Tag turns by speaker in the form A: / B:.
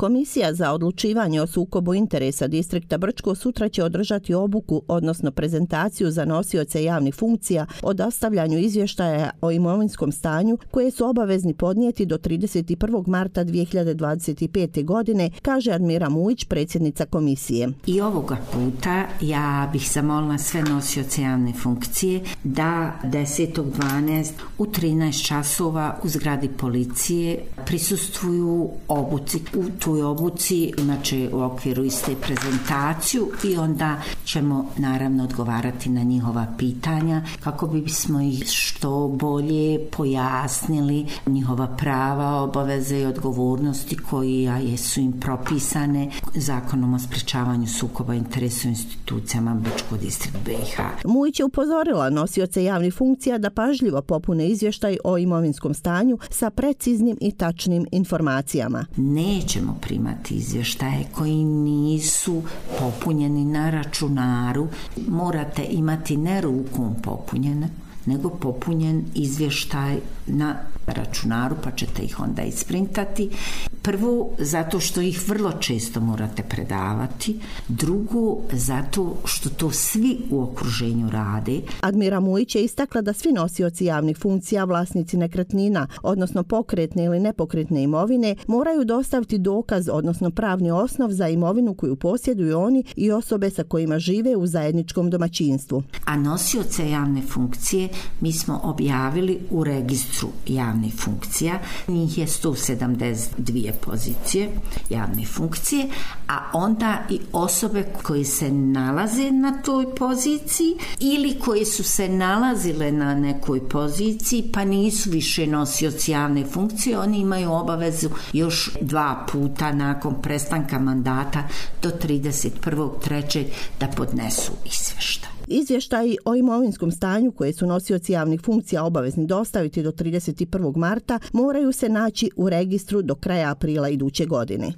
A: Komisija za odlučivanje o sukobu interesa distrikta Brčko sutra će održati obuku, odnosno prezentaciju za nosioce javnih funkcija o dostavljanju izvještaja o imovinskom stanju koje su obavezni podnijeti do 31. marta 2025. godine, kaže Admira Mujić, predsjednica komisije.
B: I ovoga puta ja bih zamolila sve nosioce javne funkcije da 10.12. u 13 časova u zgradi policije prisustvuju obuci. U toj obuci inače u okviru iste prezentaciju i onda ćemo naravno odgovarati na njihova pitanja kako bismo ih što bolje pojasnili njihova prava, obaveze i odgovornosti koje su im propisane Zakonom o sprečavanju sukoba interesa u institucijama Brčko distrikt BiH.
A: Mujić je upozorila nosioce javnih funkcija da pažljivo popune izvještaj o imovinskom stanju sa preciznim i tačnim informacijama.
B: Nećemo primati izvještaje koji nisu popunjeni na računaru. Morate imati ne rukom popunjene, nego popunjen izvještaj na računaru, pa ćete ih onda isprintati. Prvo, zato što ih vrlo često morate predavati. Drugo, zato što to svi u okruženju rade.
A: Admira Mujić je istakla da svi nosioci javnih funkcija, vlasnici nekretnina, odnosno pokretne ili nepokretne imovine, moraju dostaviti dokaz, odnosno pravni osnov za imovinu koju posjeduju oni i osobe sa kojima žive u zajedničkom domaćinstvu.
B: A nosioce javne funkcije mi smo objavili u registru javnih funkcija. Njih je 172 pozicije javne funkcije, a onda i osobe koje se nalaze na toj poziciji ili koje su se nalazile na nekoj poziciji pa nisu više nosioci javne funkcije, oni imaju obavezu još 2 puta nakon prestanka mandata do 31.3. da podnesu izvještaj.
A: Izvještaji o imovinskom stanju koje su nosioci javnih funkcija obavezni dostaviti do 31. marta moraju se naći u registru do kraja aprila iduće godine.